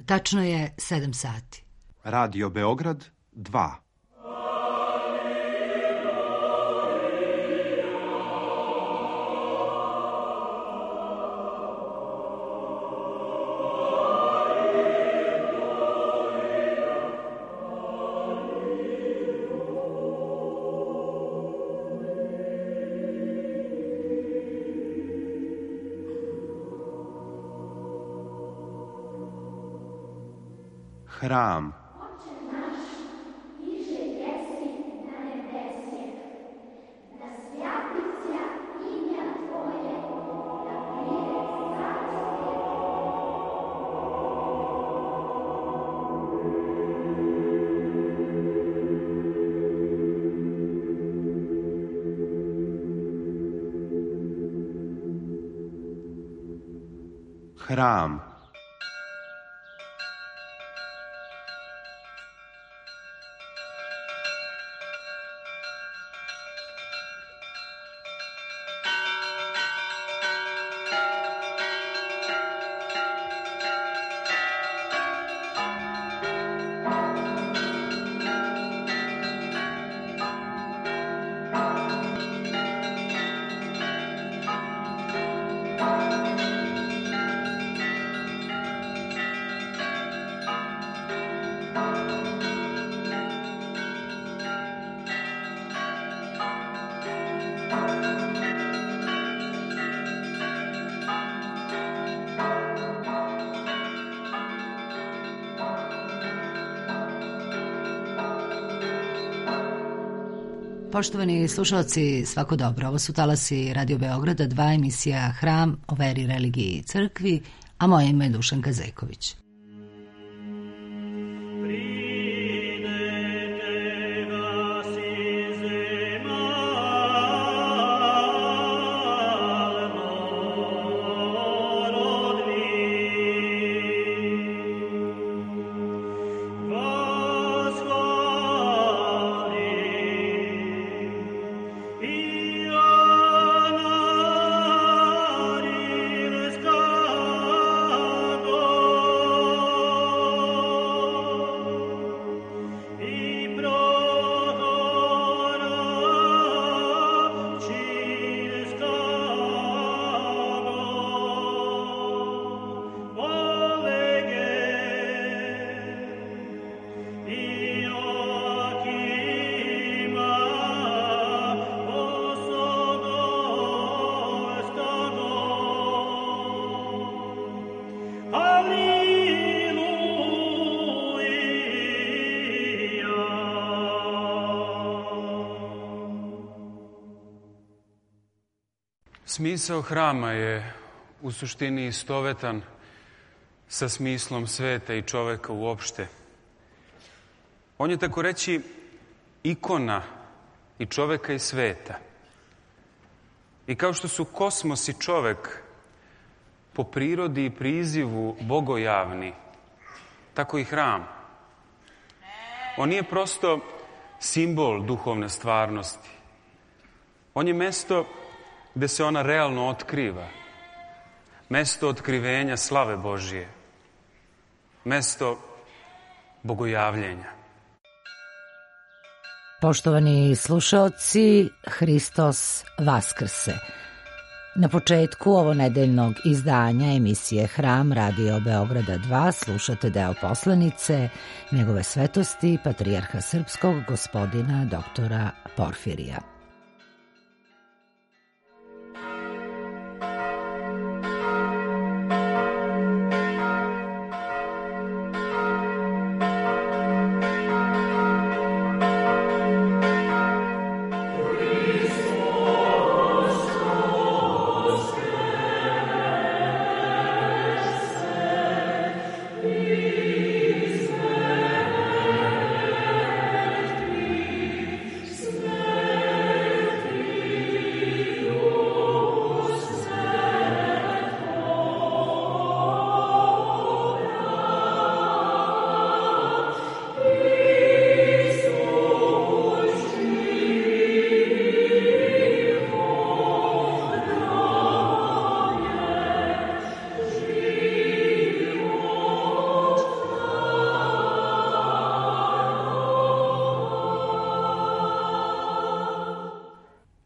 Tačno je 7 sati. Radio Beograd 2. Hram. Hram. Poštovani slušalci, svako dobro. Ovo su talasi Radio Beograda 2, emisija Hram o veri, religiji i crkvi, a moje ime je Dušanka Zeković. Smisao hrama je u suštini istovetan sa smislom sveta i čoveka uopšte. On je, tako reći, ikona i čoveka i sveta. I kao što su kosmos i čovek po prirodi i prizivu bogojavni, tako i hram. On nije prosto simbol duhovne stvarnosti. On je mesto gde se ona realno otkriva. Mesto otkrivenja slave Božije. Mesto bogojavljenja. Poštovani slušaoci, Hristos Vaskrse. Na početku ovo nedeljnog izdanja emisije Hram Radio Beograda 2 slušate deo poslanice Njegove svetosti Patrijarha Srpskog gospodina doktora Porfirija. Amen.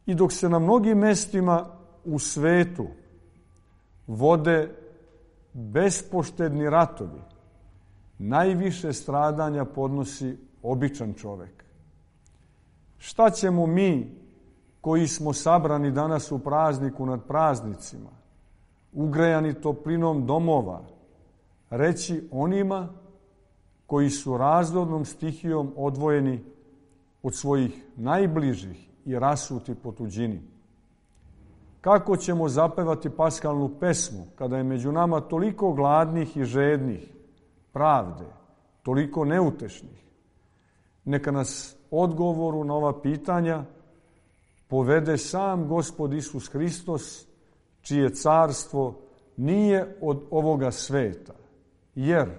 I dok se na mnogim mestima u svetu vode bespoštedni ratovi, najviše stradanja podnosi običan čovek. Šta ćemo mi koji smo sabrani danas u prazniku nad praznicima, ugrejani toplinom domova, reći onima koji su razornom stihijom odvojeni od svojih najbližih i rasuti po tuđini? Kako ćemo zapevati paskalnu pesmu kada je među nama toliko gladnih i žednih pravde, toliko neutešnih? Neka nas odgovoru na ova pitanja povede sam Gospod Isus Hristos, čije carstvo nije od ovoga sveta. Jer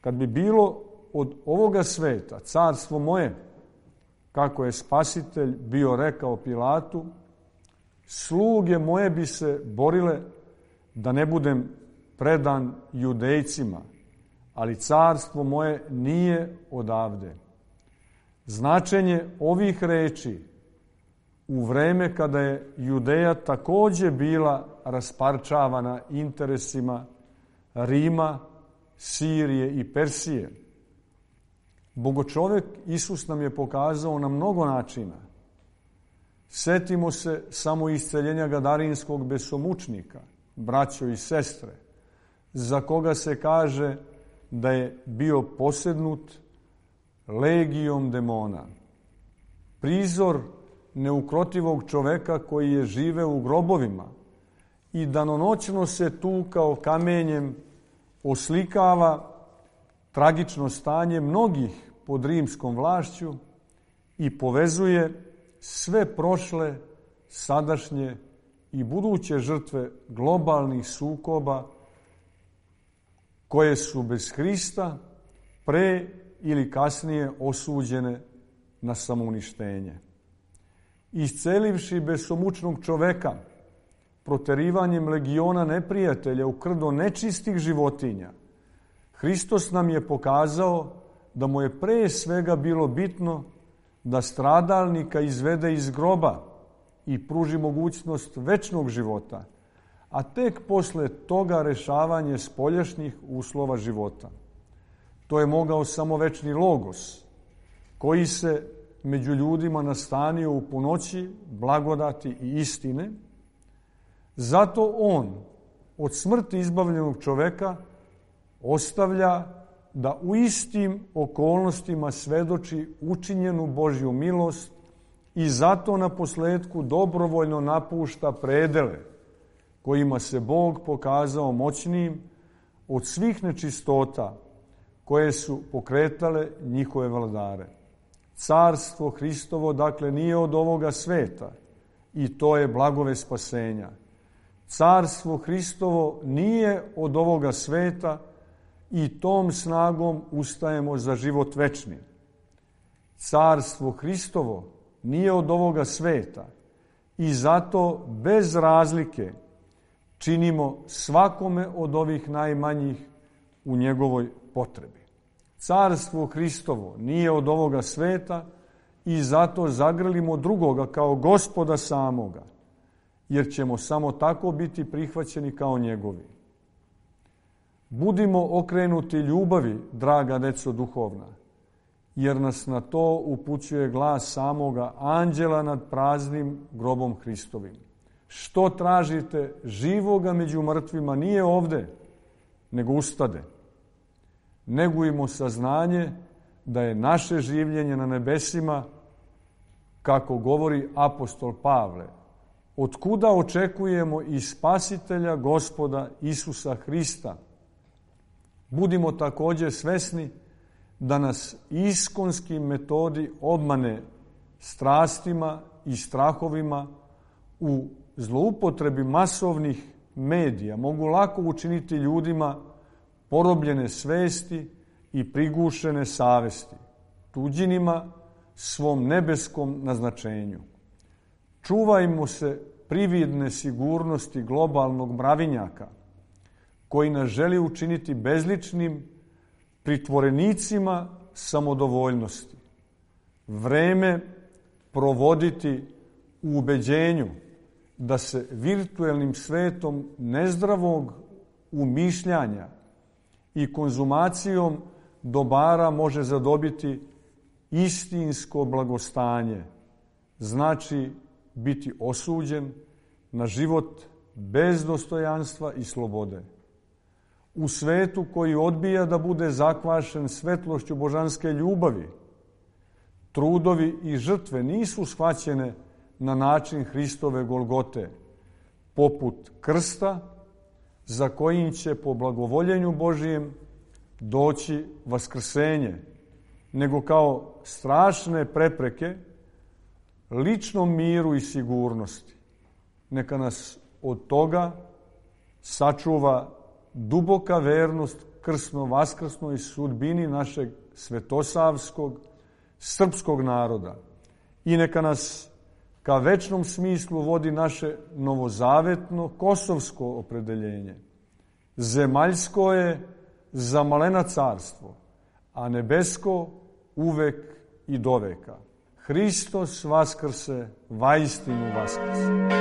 kad bi bilo od ovoga sveta carstvo moje, kako je Spasitelj bio rekao Pilatu, sluge moje bi se borile da ne budem predan Judejcima, ali carstvo moje nije odavde. Značenje ovih reči u vreme kada je Judeja takođe bila rasparčavana interesima Rima, Sirije i Persije. Bogočovek Isus nam je pokazao na mnogo načina. Setimo se samo isceljenja gadarinskog besomučnika, braćo i sestre, za koga se kaže da je bio posednut legijom demona. Prizor neukrotivog čoveka koji je živeo u grobovima i danonoćno se tukao kamenjem oslikava tragično stanje mnogih pod rimskom vlašću i povezuje sve prošle, sadašnje i buduće žrtve globalnih sukoba koje su bez Hrista pre ili kasnije osuđene na samouništenje. Iscelivši besomučnog čoveka, proterivanjem legiona neprijatelja u krdo nečistih životinja, Hristos nam je pokazao da mu je pre svega bilo bitno da stradalnika izvede iz groba i pruži mogućnost večnog života, a tek posle toga rešavanje spoljašnjih uslova života. To je mogao samo večni Logos, koji se među ljudima nastanio u punoći blagodati i istine. Zato on od smrti izbavljenog čoveka ostavlja da u istim okolnostima svedoči učinjenu Božju milost i zato na posledku dobrovoljno napušta predele kojima se Bog pokazao moćnijim od svih nečistota koje su pokretale njihove vladare. Carstvo Hristovo, dakle, nije od ovoga sveta i to je blagove spasenja. Carstvo Hristovo nije od ovoga sveta i tom snagom ustajemo za život večni. Carstvo Hristovo nije od ovoga sveta i zato bez razlike činimo svakome od ovih najmanjih u njegovoj potrebi. Carstvo Hristovo nije od ovoga sveta i zato zagrlimo drugoga kao Gospoda samoga, jer ćemo samo tako biti prihvaćeni kao njegovi. Budimo okrenuti ljubavi, draga deco duhovna, jer nas na to upućuje glas samoga anđela nad praznim grobom Hristovim. Što tražite živoga među mrtvima nije ovde, nego ustade. Negujmo saznanje da je naše življenje na nebesima, kako govori apostol Pavle, od kuda očekujemo i Spasitelja Gospoda Isusa Hrista. Budimo takođe svesni da nas iskonski metodi obmane strastima i strahovima u zloupotrebi masovnih medija mogu lako učiniti ljudima porobljene svesti i prigušene savesti, tuđinima svom nebeskom naznačenju. Čuvajmo se prividne sigurnosti globalnog mravinjaka, koji nas želi učiniti bezličnim pritvorenicima samodovoljnosti. Vreme provoditi u ubeđenju da se virtuelnim svetom nezdravog umišljanja i konzumacijom dobara može zadobiti istinsko blagostanje, znači biti osuđen na život bez dostojanstva i slobode. U svetu koji odbija da bude zakvašen svetlošću božanske ljubavi, trudovi i žrtve nisu shvaćene na način Hristove Golgote, poput krsta za kojim će po blagovoljenju Božijem doći vaskrsenje, nego kao strašne prepreke ličnom miru i sigurnosti. Neka nas od toga sačuva duboka vernost krsno-vaskrsnoj sudbini našeg svetosavskog, srpskog naroda i neka nas ka večnom smislu vodi naše novozavetno kosovsko opredeljenje. Zemaljsko je za malena carstvo, a nebesko uvek i doveka. Hristos vaskrse, vaistinu vaskrse.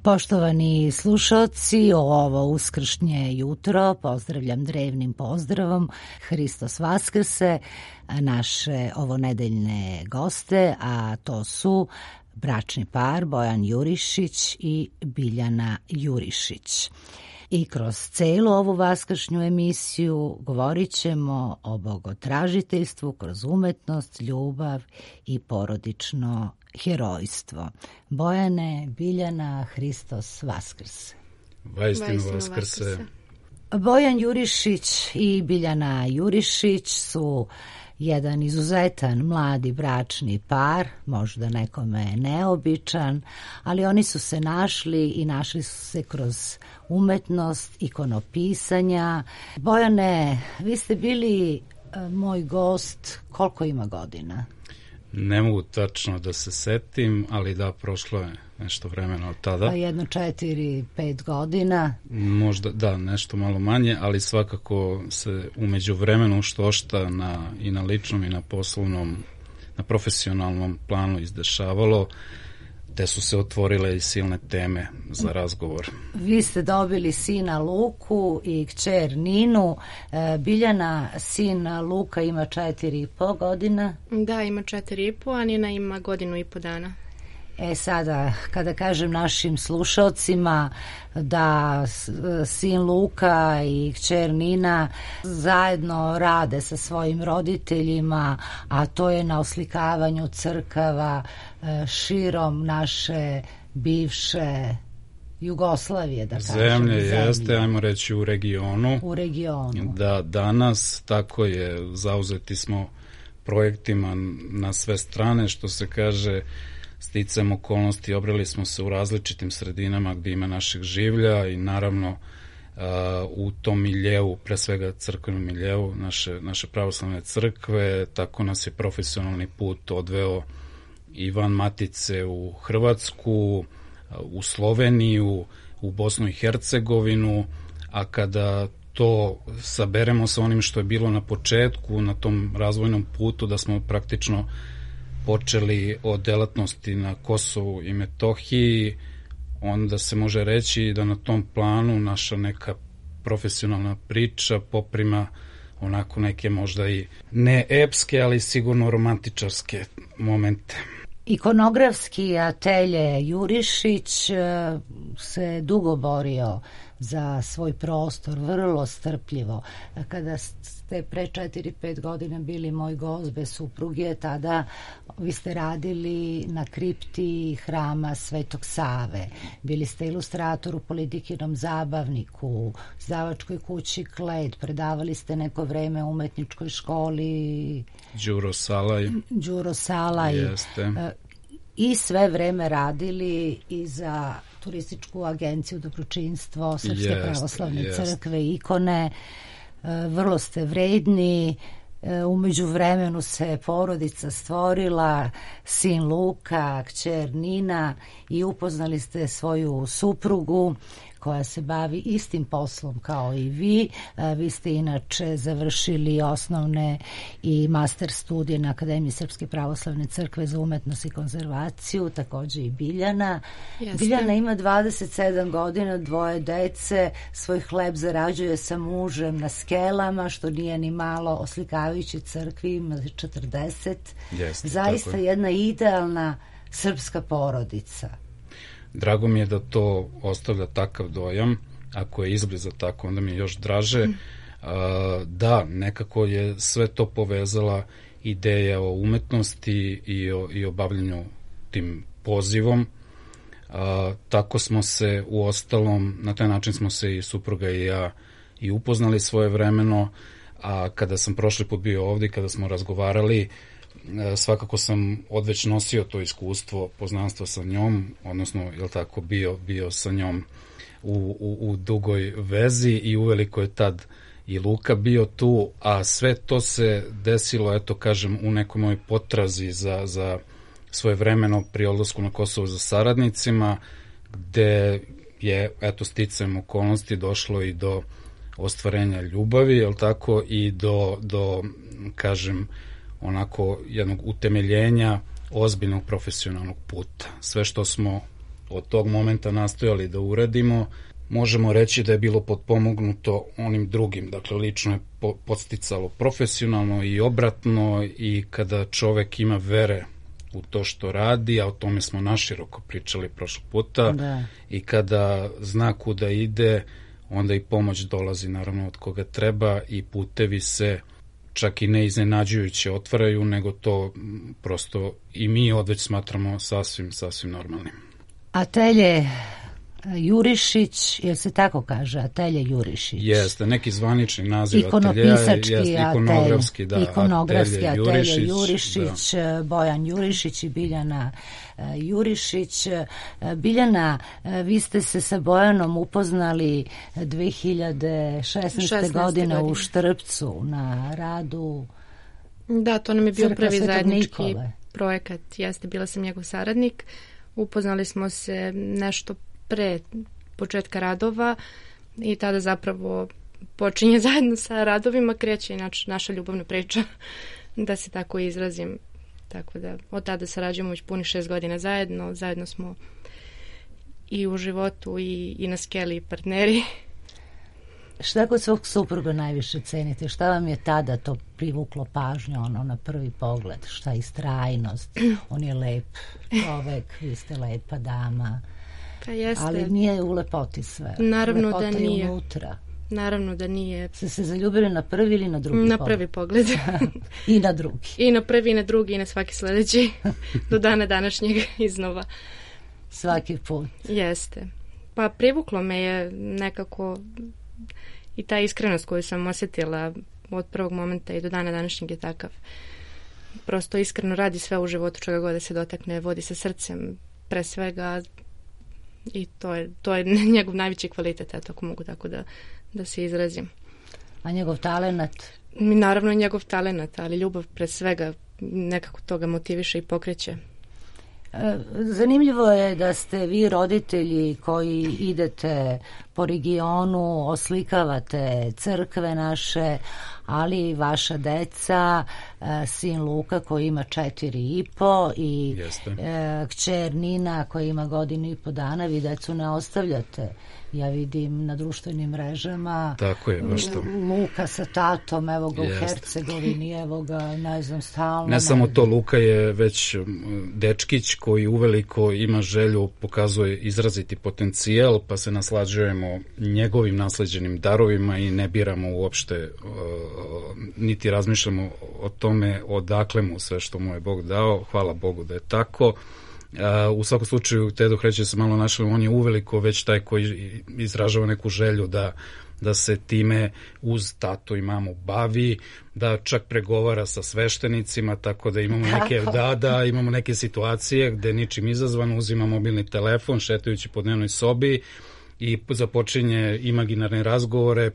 Poštovani slušalci, ovo uskršnje jutro pozdravljam drevnim pozdravom Hristos vaskrse naše ovonedeljne goste, a to su bračni par Bojan Jurišić i Biljana Jurišić. I kroz celu ovu vaskršnju emisiju govorit ćemo o bogotražiteljstvu kroz umetnost, ljubav i porodično herojstvo. Bojane, Biljana, Hristos vaskrse. Vaistinu vaskrse. Bojan Jurišić i Biljana Jurišić su jedan izuzetan mladi bračni par, možda nekome neobičan, ali oni su se našli i našli su se kroz umetnost, ikonopisanja. Bojane, vi ste bili moj gost, koliko ima godina? Ne mogu tačno da se setim, ali da, prošlo je nešto vremena od tada. Pa jedno 4-5 godina. Možda, da, nešto malo manje, ali svakako se umeđu vremenu što-šta i na ličnom i na poslovnom, na profesionalnom planu izdešavalo, te su se otvorile i silne teme za razgovor. Vi ste dobili sina Luku i kćer Ninu. Biljana, sin Luka ima 4,5 godina. Da, ima 4,5, a Nina ima 1,5 dana. Sada, kada kažem našim slušalcima da sin Luka i kćer Nina zajedno rade sa svojim roditeljima, a to je na oslikavanju crkava širom naše bivše Jugoslavije, da kažem. Zemlje jeste, ajmo reći, u regionu. U regionu. Da, danas tako je, zauzeti smo projektima na sve strane, što se kaže, sticajem okolnosti obrali smo se u različitim sredinama gdje ima našeg življa i naravno u tom miljevu, pre svega crkvenom miljevu naše pravoslavne crkve, tako nas je profesionalni put odveo i van matice u Hrvatsku, u Sloveniju, u Bosnu i Hercegovinu, a kada to saberemo sa onim što je bilo na početku, na tom razvojnom putu, da smo praktično počeli od delatnosti na Kosovu i Metohiji, onda se može reći da na tom planu naša neka profesionalna priča poprima onako neke možda i ne epske, ali sigurno romantičarske momente. Ikonografski atelje Jurišić se dugo borio za svoj prostor, vrlo strpljivo. Kada ste pre 4-5 godina bili moj gost bez supruge, tada vi ste radili na kripti hrama Svetog Save. Bili ste ilustrator u Politikinom zabavniku, izdavačkoj kući Kled, predavali ste neko vreme u umetničkoj školi Đuro Salaj. Jeste. I sve vreme radili i za turističku agenciju Dobročinstvo Srpske pravoslavne crkve, Ikone. Vrlo ste vredni. U međuvremenu se porodica stvorila, sin Luka, kćer Nina, i upoznali ste svoju suprugu koja se bavi istim poslom kao i vi. Vi ste inače završili osnovne i master studije na Akademiji Srpske pravoslavne crkve za umetnost i konzervaciju, takođe i Biljana. Jeste. Biljana ima 27 godina, 2 dece, svoj hleb zarađuje sa mužem na Skelama, što nije ni malo, oslikavajući crkvi, ima 40. Jeste, zaista jedna idealna srpska porodica. Drago mi je da to ostavlja takav dojam. Ako je izbliza tako, onda mi je još draže. Da, nekako je sve to povezala ideja o umetnosti i o bavljenju tim pozivom. Tako smo se u ostalom, na taj način smo se i supruga i ja i upoznali svojevremeno, a kada sam prošli put bio ovdje, kada smo razgovarali, svakako sam odveć nosio to iskustvo poznanstva sa njom, odnosno, je li tako, bio sa njom u dugoj vezi i uveliko je tad i Luka bio tu, a sve to se desilo, eto kažem, u nekoj mojoj potrazi za svojevremeno pri odlasku na Kosovo za saradnicima, gde je, eto, sticajem okolnosti došlo i do ostvarenja ljubavi, je li tako, i do kažem, onako jednog utemeljenja ozbiljnog profesionalnog puta. Sve što smo od tog momenta nastojali da uradimo, možemo reći da je bilo potpomognuto onim drugim. Dakle, lično je podsticalo profesionalno i obratno, i kada čovek ima vere u to što radi, a o tome smo naširoko pričali prošlog puta, da. I kada zna kuda ide, onda i pomoć dolazi naravno od koga treba i putevi se čak i ne iznenađujuće otvaraju, nego to prosto i mi odveć smatramo sasvim normalnim. Atelje Jurišić, jel se tako kaže, Atelje Jurišić? Jeste, neki zvanični naziv ateljeja, ikonografski, da, Atelje Jurišić, da. Bojan Jurišić i Biljana Jurišić. Biljana, vi ste se sa Bojanom upoznali 2016. godine u Štrpcu na radu. Da, to nam je bio prvi zajednički projekat. Jeste, bila sam njegov saradnik. Upoznali smo se nešto pre početka radova i tada zapravo počinje zajedno sa radovima, kreće naša ljubavna priča, da se tako izrazim. Tako da od tada sarađujemo već punih 6 godina zajedno smo i u životu i na skeli partneri. Šta kod svog supruga najviše cenite? Šta vam je tada to privuklo pažnju, na prvi pogled? Šta je istrajnost? On je lep čovek, vi ste lepa dama. Pa jeste. Ali nije u lepoti sve. Naravno lepota da nije. Unutra. Naravno da nije. Ste se zaljubili na prvi ili na drugi pogled? Na prvi pogled. I na drugi. I na prvi i na drugi i na svaki sledeći. Do dana današnjeg iznova. Svaki put. Jeste. Pa privuklo me je nekako i ta iskrenost koju sam osjetila od prvog momenta i do dana današnjeg je takav. Prosto iskreno radi sve u životu, čega god da se dotakne, vodi sa srcem pre svega, i to je njegov najveći kvalitet, eto, ako mogu tako da se izrazim. A njegov talenat? Naravno njegov talenat, ali ljubav pre svega nekako toga motiviše i pokreće. Zanimljivo je da ste vi roditelji koji idete po regionu, oslikavate crkve naše, ali vaša deca, sin Luka koji ima 4,5 i kćer Nina koja ima 1,5 godina, vi decu ne ostavljate Ja vidim na društvenim mrežama. Tako je, baš to. Luka sa tatom, evo ga u Hercegovini, evo ga, ne znam, stalno. Ne samo to, Luka je već dečkić koji uveliko ima želju, pokazuje izraziti potencijal, pa se naslađujemo njegovim nasleđenim darovima i ne biramo uopšte, niti razmišljamo o tome odakle mu sve što mu je Bog dao. Hvala Bogu da je tako. U svakom slučaju, Tedo Hreće se malo našao, on je uveliko već taj koji izražava neku želju da se time uz tato i mamu bavi, da čak pregovara sa sveštenicima, tako da imamo imamo neke situacije gde ničim izazvano uzima mobilni telefon šetajući po dnevnoj sobi i započinje imaginarne razgovore,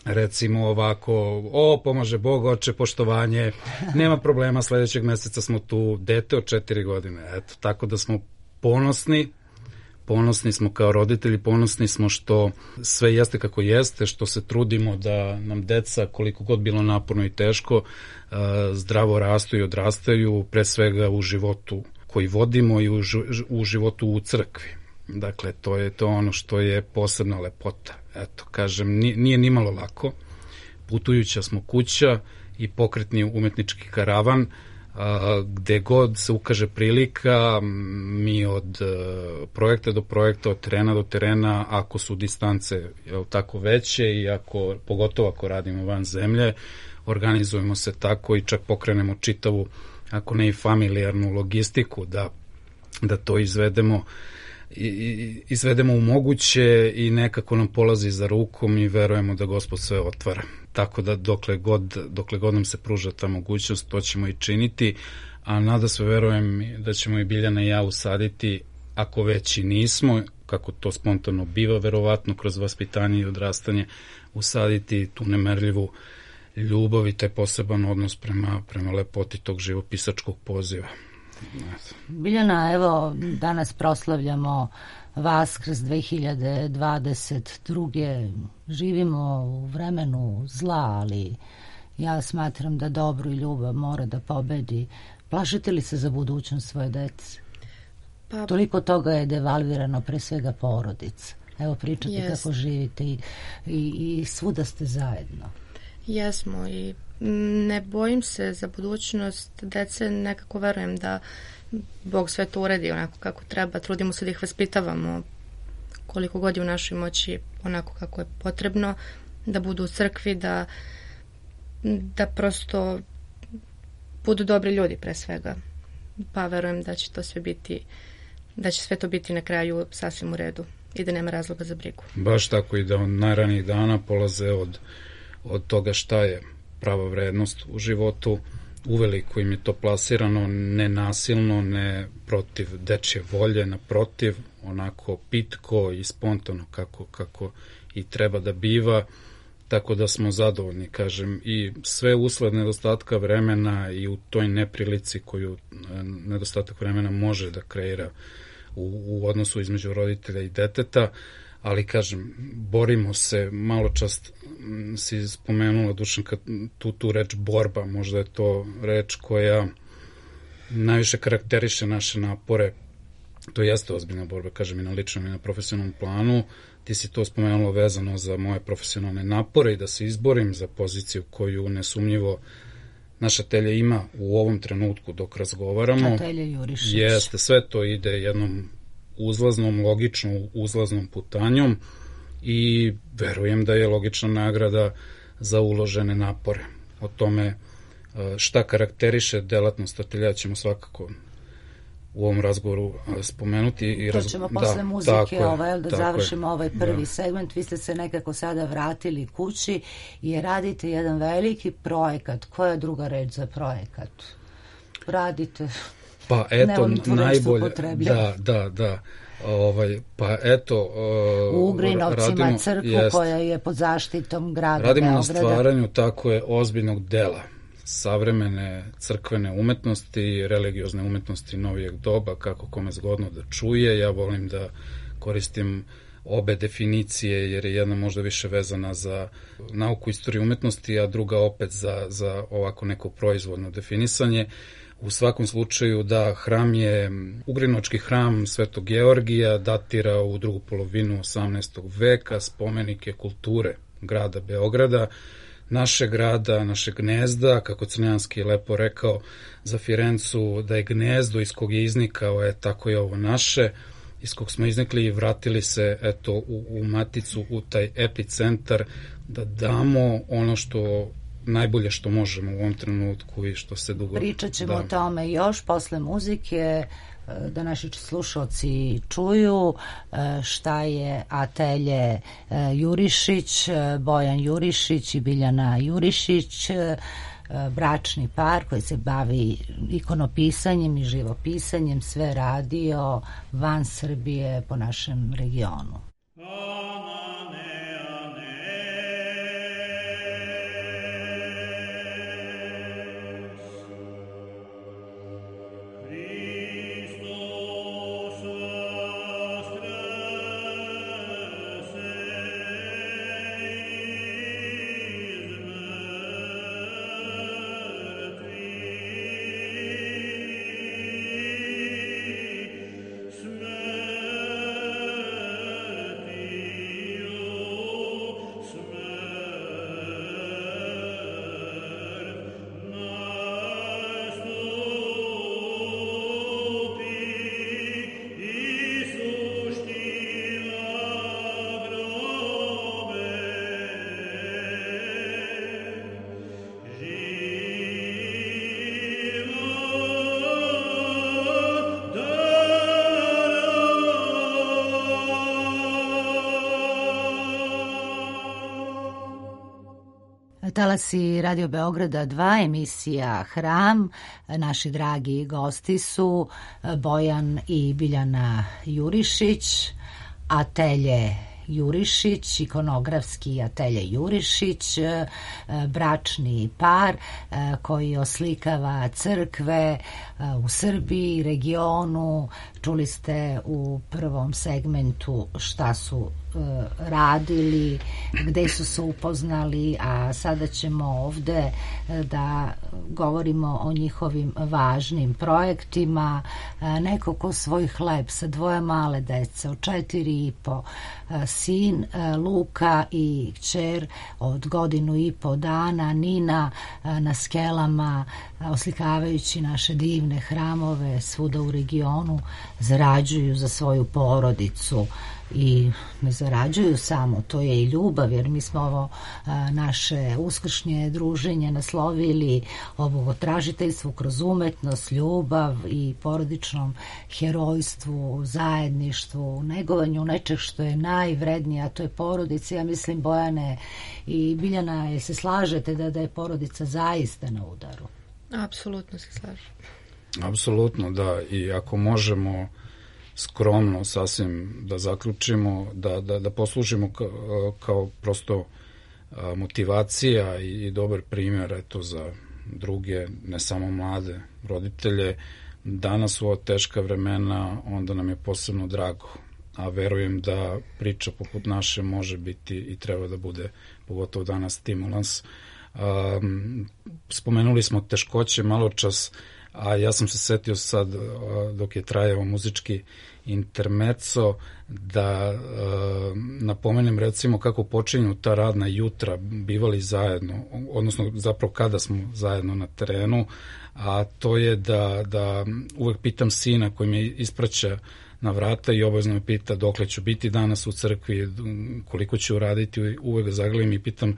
recimo ovako, pomaže Bog, oče, poštovanje, nema problema, sledećeg meseca smo tu, dete od 4 godine. Eto, tako da smo ponosni smo kao roditelji, ponosni smo što sve jeste kako jeste, što se trudimo da nam deca, koliko god bilo naporno i teško, zdravo rastu i odrastaju, pre svega u životu koji vodimo i u životu u crkvi. Dakle, to je to ono što je posebna lepota. Eto, kažem, nije nimalo lako. Putujuća smo kuća i pokretni umetnički karavan, gde god se ukaže prilika, mi od projekta do projekta, od terena do terena, ako su distance tako veće i pogotovo ako radimo van zemlje, organizujemo se tako i čak pokrenemo čitavu, ako ne i familijarnu logistiku, da to izvedemo u moguće i nekako nam polazi za rukom i verujemo da Gospod sve otvara. Tako da dokle god nam se pruža ta mogućnost, to ćemo i činiti, a nadasve verujem da ćemo i Biljana i ja usaditi, ako već i nismo, kako to spontano biva, verovatno kroz vaspitanje i odrastanje, usaditi tu nemerljivu ljubav i taj poseban odnos prema lepoti tog živopisačkog poziva. Biljana, evo, danas proslavljamo Vaskrs 2022. Živimo u vremenu zla, ali ja smatram da dobro i ljubav mora da pobedi. Plašite li se za budućnost svoje dece? Toliko toga je devalvirano, pre svega porodica. Evo, pričate kako živite i svuda ste zajedno. Jesmo i ne bojim se za budućnost dece, nekako verujem da Bog sve to uredi onako kako treba, trudimo se da ih vaspitavamo koliko god je u našoj moći, onako kako je potrebno, da budu u crkvi, da prosto budu dobri ljudi pre svega, pa verujem da će to sve biti, da će sve to biti na kraju sasvim u redu i da nema razloga za brigu. Baš tako, i da od najranijih dana polaze od toga šta je prava vrednost u životu. Uveliko im je to plasirano, ne nasilno, ne protiv dečje volje, naprotiv, onako pitko i spontano kako i treba da biva, tako da smo zadovoljni, kažem, i sve usled nedostatka vremena i u toj neprilici koju nedostatak vremena može da kreira u odnosu između roditelja i deteta, ali kažem, borimo se, malo čast si spomenula, Dušanka, tu reč borba, možda je to reč koja najviše karakteriše naše napore, to jeste ozbiljna borba, kažem, i na ličnom i na profesionalnom planu. Ti si to spomenula vezano za moje profesionalne napore i da se izborim za poziciju koju nesumnjivo naša Telja ima u ovom trenutku dok razgovaramo. Telja Jurišić. Jeste, sve to ide jednom logičnom uzlaznom putanjom i verujem da je logična nagrada za uložene napore. O tome šta karakteriše delatnost ateljea ćemo svakako u ovom razgovoru spomenuti. To ćemo posle muzike da završimo ovaj prvi segment. Vi ste se nekako sada vratili kući i radite jedan veliki projekat. Koja je druga reč za projekat? Radite... Pa eto, najbolje, da. Pa eto, u Ugrinovcima crkvu koja je pod zaštitom grada Beograda. Radimo na stvaranju tako je ozbiljnog dela savremene crkvene umetnosti, religiozne umetnosti novijeg doba, kako kome zgodno da čuje. Ja volim da koristim obe definicije, jer je jedna možda više vezana za nauku istorije umetnosti, a druga opet za ovako neko proizvodno definisanje. U svakom slučaju da hram je, ugrinočki hram Svetog Georgija, datira u drugu polovinu 18. veka, spomenik je kulture grada Beograda, našeg grada, našeg gnezda, kako Crnjanski je lepo rekao za Firencu, da je gnezdo iz kog je iznikao, tako je ovo naše, iz kog smo iznikli i vratili se u maticu, u taj epicentar, da damo ono što najbolje što možemo u ovom trenutku i što se dugo... Pričat ćemo o tome još posle muzike, da naši slušalci čuju šta je atelje Jurišić, Bojan Jurišić i Biljana Jurišić, bračni par koji se bavi ikonopisanjem i živopisanjem, sve radio van Srbije po našem regionu. Talasi Radio Beograda 2, emisija Hram. Naši dragi gosti su Bojan i Biljana Jurišić, atelje Jurišić, ikonografski atelje Jurišić, bračni par koji oslikava crkve u Srbiji, regionu. Čuli ste u prvom segmentu šta su radili, gde su se upoznali, a sada ćemo ovde da govorimo o njihovim važnim projektima. Neko ko svoj hleb sa dvoje male dece od 4,5, sin Luka i kćer od 1,5 dana, Nina, na skelama oslikavajući naše divne hramove svuda u regionu, zarađuju za svoju porodicu. I ne zarađuju samo, to je i ljubav, jer mi smo ovo naše uskršnje druženje naslovili ovo tražiteljstvo kroz umetnost, ljubav i porodičnom herojstvu, zajedništvu, negovanju nečeg što je najvrednije, a to je porodica. Ja mislim, Bojane i Biljana, se slažete da je porodica zaista na udaru? Apsolutno se slažem. Apsolutno, da, i ako možemo skromno sasvim da zaključimo, da poslužimo kao prosto motivacija i dobar primjer za druge, ne samo mlade roditelje. Danas u ova teška vremena, onda nam je posebno drago, a verujem da priča poput naše može biti i treba da bude, pogotovo danas, stimulans. Spomenuli smo teškoće malo čas, a ja sam se setio sad, dok je trajao muzički intermezzo, da napomenem recimo kako počinju ta radna jutra, bivali zajedno, odnosno zapravo kada smo zajedno na terenu, a to je da uvek pitam sina koji me ispraća na vrata i obavezno me pita dokle ću biti danas u crkvi, koliko ću uraditi, uvek zagledam i pitam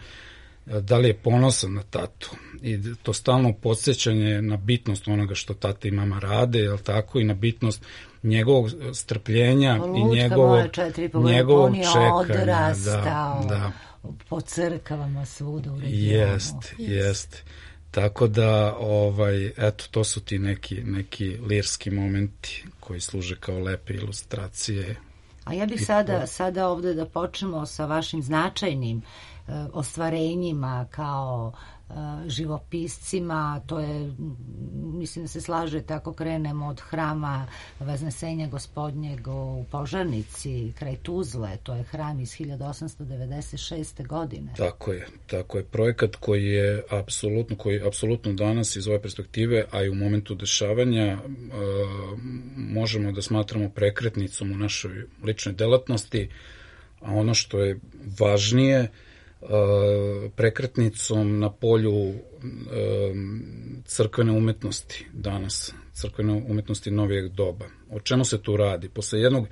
da li je ponosan na tatu. I to stalno podsjećanje na bitnost onoga što tata i mama rade, jel tako, i na bitnost njegovog strpljenja i njegovog čekanja. Odrastao po crkvama svuda u regionu. Jest. Tako da, eto, to su ti neki lirski momenti koji služe kao lepe ilustracije. A ja bih sada ovde da počnemo sa vašim značajnim ostvarenjima kao živopiscima. To je mislim da se slaže, tako krenemo od hrama Vaznesenja Gospodnjeg u Požarnici, kraj Tuzle, to je hram iz 1896. godine. Tako je. Projekat koji apsolutno danas iz ove perspektive, a i u momentu dešavanja, možemo da smatramo prekretnicom u našoj ličnoj delatnosti, a ono što je važnije, prekretnicom na polju crkvene umetnosti danas, crkvene umetnosti novijeg doba. O čemu se tu radi? Posle jednog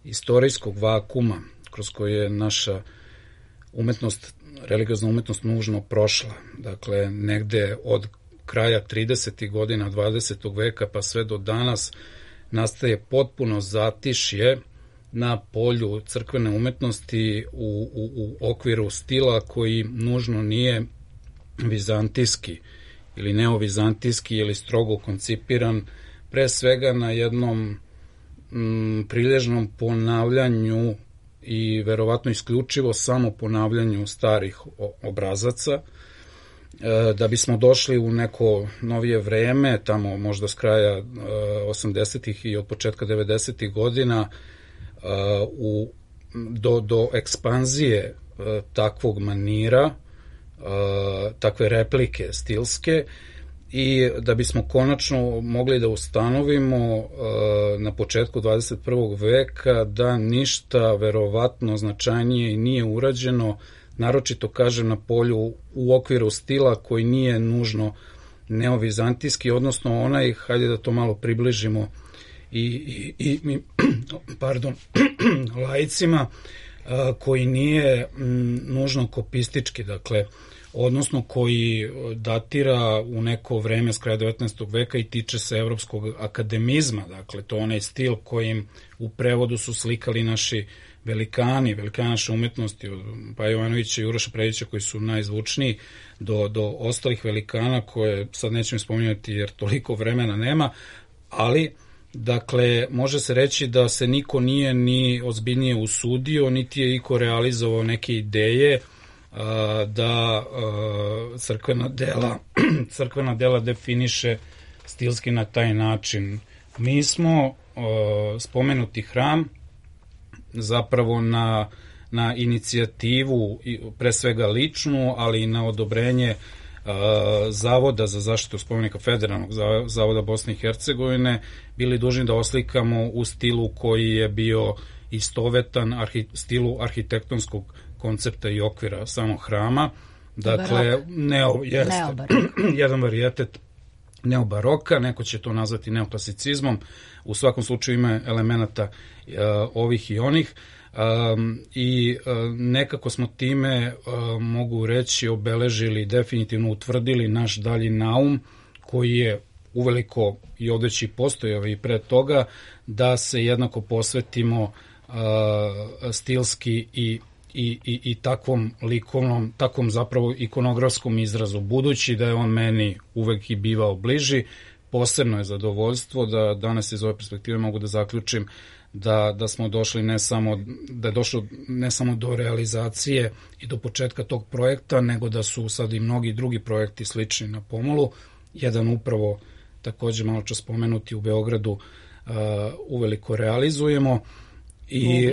istorijskog vakuma kroz koji je naša umetnost, religiozna umetnost nužno prošla, dakle negde od kraja 30. godina 20. veka pa sve do danas nastaje potpuno zatišje na polju crkvene umetnosti u okviru stila koji nužno nije vizantijski ili neovizantijski ili strogo koncipiran, pre svega na jednom prilježnom ponavljanju i verovatno isključivo samo ponavljanju starih obrazaca, da bismo došli u neko novije vreme, tamo možda s kraja 80. i od početka 90. godina, do ekspanzije takvog manira, takve replike stilske, i da bismo konačno mogli da ustanovimo na početku 21. veka da ništa verovatno značajnije nije urađeno, naročito kažem na polju u okviru stila koji nije nužno neovizantijski, odnosno onaj, hajde da to malo približimo i laicima, koji nije nužno kopistički, dakle, odnosno koji datira u neko vreme s kraja 19. veka i tiče se evropskog akademizma, dakle, to onaj stil kojim u prevodu su slikali naši velikani naše umetnosti, od Paje Jovanovića i Uroša Predića, koji su najzvučniji, do ostalih velikana koje sad nećemo spominjati jer toliko vremena nema, ali dakle, može se reći da se niko nije ni ozbiljnije usudio, niti je iko realizovao neke ideje da crkvena dela definiše stilski na taj način. Mi smo spomenuti hram zapravo na inicijativu, pre svega ličnu, ali i na odobrenje Zavoda za zaštitu spomenika, Federalnog zavoda Bosne i Hercegovine, bili dužni da oslikamo u stilu koji je bio istovetan stilu arhitektonskog koncepta i okvira samog hrama. Dakle, jedan varijetet neobaroka, neko će to nazvati neoklasicizmom, u svakom slučaju ima elemenata ovih i onih, i nekako smo time, mogu reći, obeležili, definitivno utvrdili naš dalji naum, koji je uveliko i odveći postojao i pre toga, da se jednako posvetimo stilski i takvom likovnom, takvom zapravo ikonografskom izrazu, budući da je on meni uvek i bivao bliži. Posebno je zadovoljstvo da danas iz ove perspektive mogu da zaključim da smo došli da je došlo ne samo do realizacije i do početka tog projekta, nego da su sad i mnogi drugi projekti slični na pomolu. Jedan upravo, takođe malo čas spomenuti, u Beogradu uveliko realizujemo i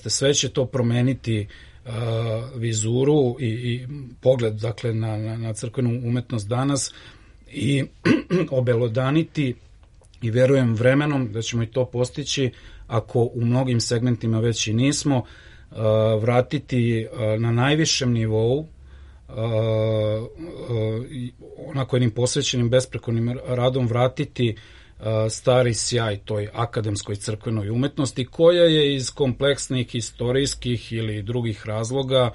sve će to promeniti vizuru i pogled, dakle, na crkvenu umetnost danas i obelodaniti, i verujem vremenom da ćemo i to postići, ako u mnogim segmentima već i nismo, vratiti na najvišem nivou, onako jednim posvećenim besprekornim radom, vratiti stari sjaj toj akademskoj crkvenoj umetnosti, koja je iz kompleksnih istorijskih ili drugih razloga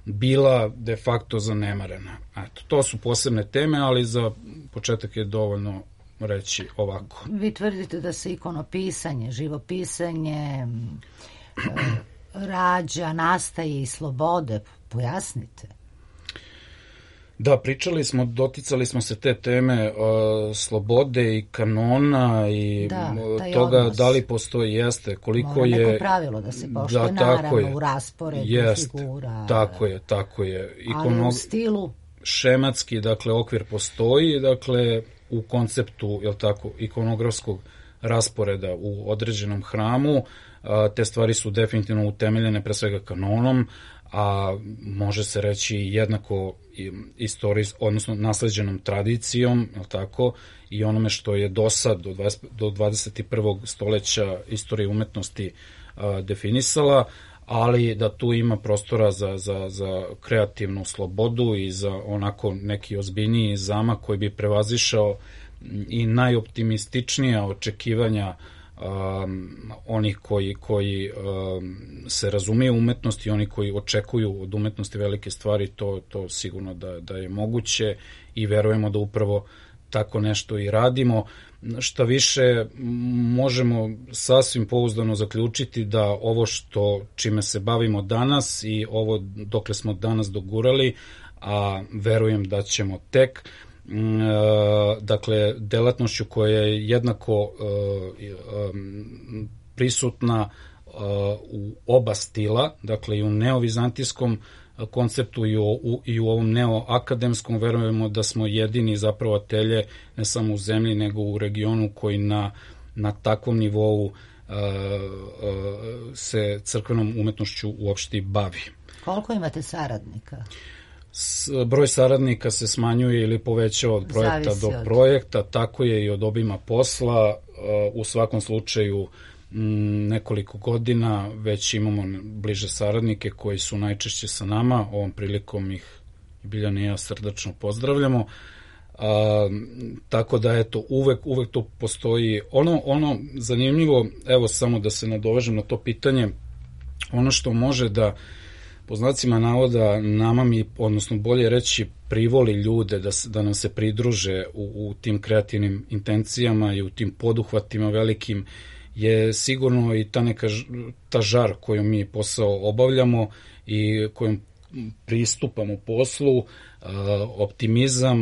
bila de facto zanemarena. Eto, to su posebne teme, ali za početak je dovoljno reći ovako. Vi tvrdite da se ikonopisanje, živopisanje rađa, nastaje iz slobode. Pojasnite. Da, doticali smo se te teme slobode i kanona i toga odnos. Da li postoji, koliko mora neko pravilo da se poštuje, naravno, u rasporedu figura. Tako je. Ali u stilu? Šematski, dakle, okvir postoji, dakle, u konceptu, jel tako, ikonografskog rasporeda u određenom hramu. Te stvari su definitivno utemeljene pre svega kanonom, a može se reći jednako odnosno nasleđenom tradicijom, jel tako, i onome što je do sad, do 21. stoleća istorije umetnosti definisala, ali da tu ima prostora za kreativnu slobodu i za onako neki ozbiljniji zamak koji bi prevazišao i najoptimističnija očekivanja onih koji se razumiju umetnosti, oni koji očekuju od umetnosti velike stvari, to sigurno da je moguće i verujemo da upravo tako nešto i radimo. Šta više, možemo sasvim pouzdano zaključiti da ovo čime se bavimo danas i ovo dokle smo danas dogurali, a verujem da ćemo tek, dakle, delatnošću koja je jednako prisutna u oba stila, dakle i u neovizantijskom konceptu i u ovom neoakademskom, verujemo da smo jedini zapravo atelje ne samo u zemlji nego u regionu koji na takvom nivou se crkvenom umetnošću uopšte bavi. Koliko imate saradnika? Broj saradnika se smanjuje ili povećava od projekta do projekta, tako je i od obima posla. U svakom slučaju nekoliko godina već imamo bliže saradnike koji su najčešće sa nama. Ovom prilikom ih Biljana i ja srdačno pozdravljamo. Tako da eto, uvek to postoji. Ono zanimljivo, evo samo da se nadovežem na to pitanje, ono što može da po znacima navoda nama odnosno bolje reći privoli ljude da nam se pridruže u tim kreativnim intencijama i u tim poduhvatima velikim, je sigurno i ta žar koju mi posao obavljamo i kojom pristupamo poslu, optimizam,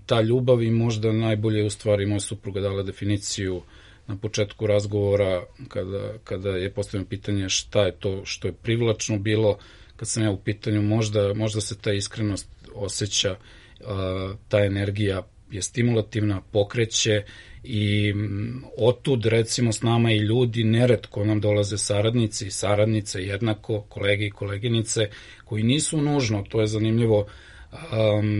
ta ljubav, i možda najbolje u stvari moja supruga dala definiciju na početku razgovora kada je postavljeno pitanje šta je to što je privlačno bilo. Kad sam ja u pitanju, možda se ta iskrenost osjeća, ta energija je stimulativna, pokreće, i otud recimo s nama i ljudi, neretko nam dolaze saradnici i saradnice jednako, kolege i koleginice koji nisu nužno, to je zanimljivo,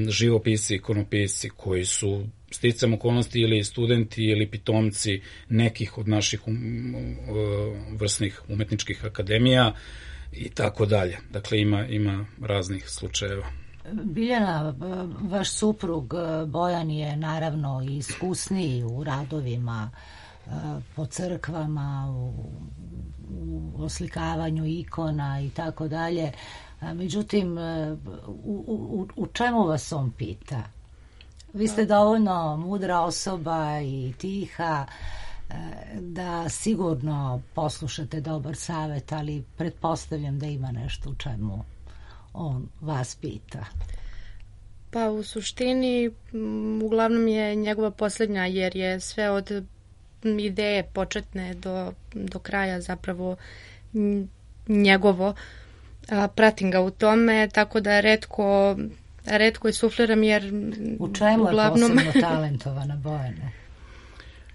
živopisci, ikonopisci koji su sticam okolnosti ili studenti ili pitomci nekih od naših vrsnih umetničkih akademija i tako dalje. Dakle, ima raznih slučajeva. Biljana, vaš suprug Bojan je naravno iskusniji u radovima po crkvama, u oslikavanju ikona i tako dalje. Međutim, u čemu vas on pita? Vi ste dovoljno mudra osoba i tiha da sigurno poslušate dobar savjet, ali pretpostavljam da ima nešto u čemu on vas pita. Pa u suštini uglavnom je njegova posljednja, jer je sve od ideje početne do kraja zapravo njegovo. Pratim ga u tome, tako da retko i sufliram, jer u čemu uglavnom... je posebno talentovana Bojana?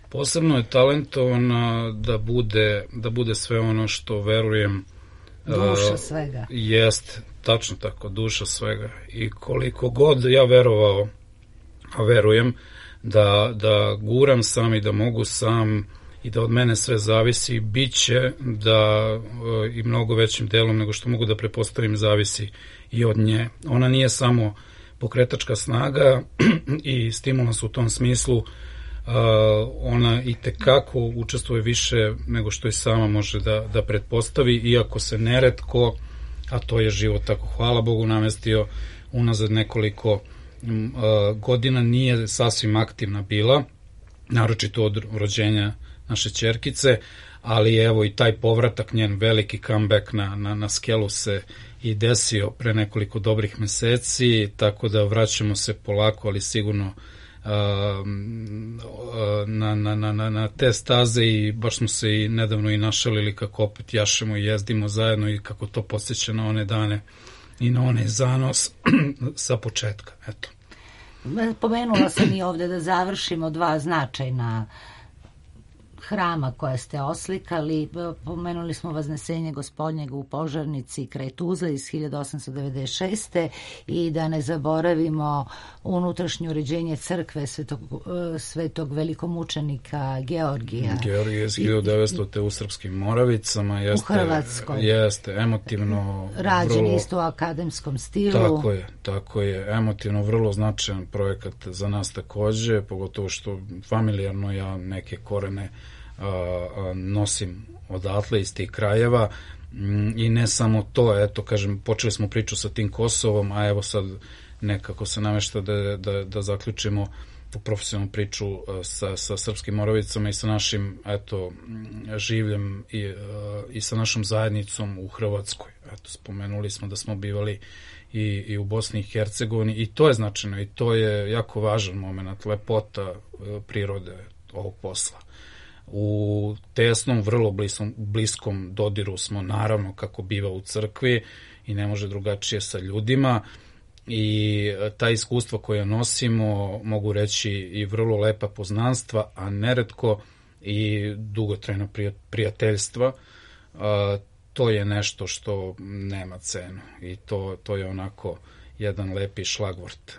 Posebno je talentovana da bude sve ono što verujem. Duša svega. Jest, tačno tako, duša svega. I koliko god ja verovao, a verujem, da guram sam i da mogu sam i da od mene sve zavisi, bit će da i mnogo većim delom nego što mogu da prepostavim zavisi i od nje. Ona nije samo pokretačka snaga i stimulans u tom smislu, ona i tekako učestvuje više nego što i sama može da pretpostavi, iako se neretko, a to je život tako, hvala Bogu, namestio unazad nekoliko godina, nije sasvim aktivna bila, naročito od rođenja naše ćerkice, ali evo i taj povratak, njen veliki comeback na skelu se i desio pre nekoliko dobrih meseci, tako da vraćamo se polako, ali sigurno na te staze, i baš smo se i nedavno i našalili kako opet jašemo i jezdimo zajedno i kako to podsjeća na one dane i na onaj zanos sa početka. Eto. Pomenula sam i ovde da završimo dva značajna hrama koje ste oslikali. Pomenuli smo Vaznesenje Gospodnjega u Požarnici kraj Tuzle iz 1896. i da ne zaboravimo unutrašnje uređenje crkve svetog velikomučenika Georgija. Georgije iz 1900. u Srpskim Moravicama. U Hrvatskoj. Jeste, emotivno. Rađen isto u akademskom stilu. Tako je. Emotivno vrlo značajan projekat za nas takođe, pogotovo što familijarno ja neke korene nosim odatle iz tih krajeva i ne samo to, eto kažem, počeli smo priču sa tim Kosovom, a evo sad nekako se namešta da zaključimo tu profesionalnu priču sa Srpskim Moravicama i sa našim življem i sa našom zajednicom u Hrvatskoj. Eto, spomenuli smo da smo bivali i u Bosni i Hercegovini i to je značajno i to je jako važan moment, lepota prirode ovog posla. U tesnom, vrlo bliskom dodiru smo, naravno, kako biva u crkvi i ne može drugačije sa ljudima i ta iskustva koja nosimo, mogu reći i vrlo lepa poznanstva, a neretko i dugotrajna prijateljstva, to je nešto što nema cenu i to je onako jedan lepi šlagvort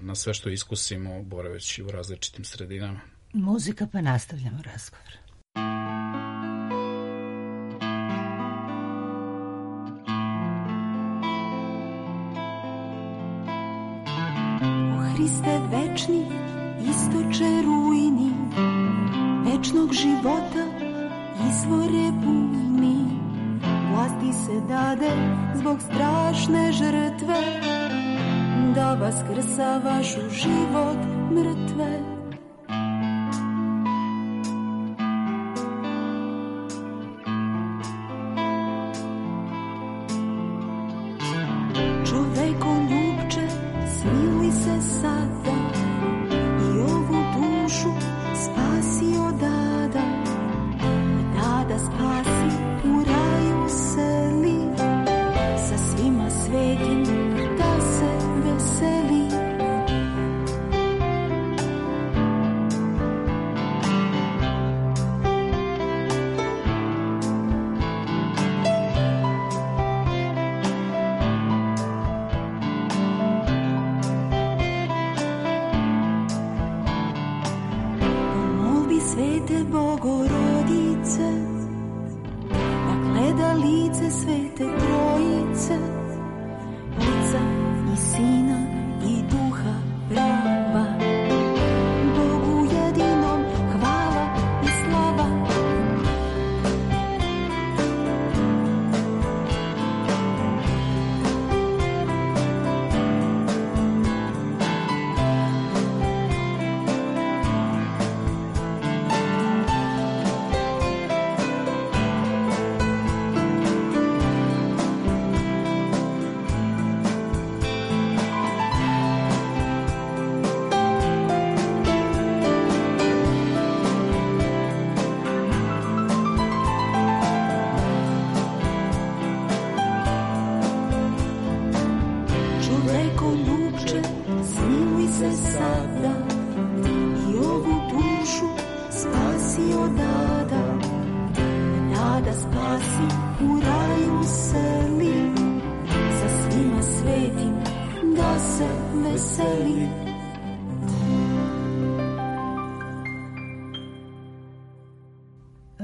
na sve što iskusimo boraveći u različitim sredinama. Muzika, pa nastavljamo razgovor. O Hriste večni, istoče rujni, večnog života, izvore bujni, vlasti se dade zbog strašne žrtve, da vaskrsa vašu život mrtve.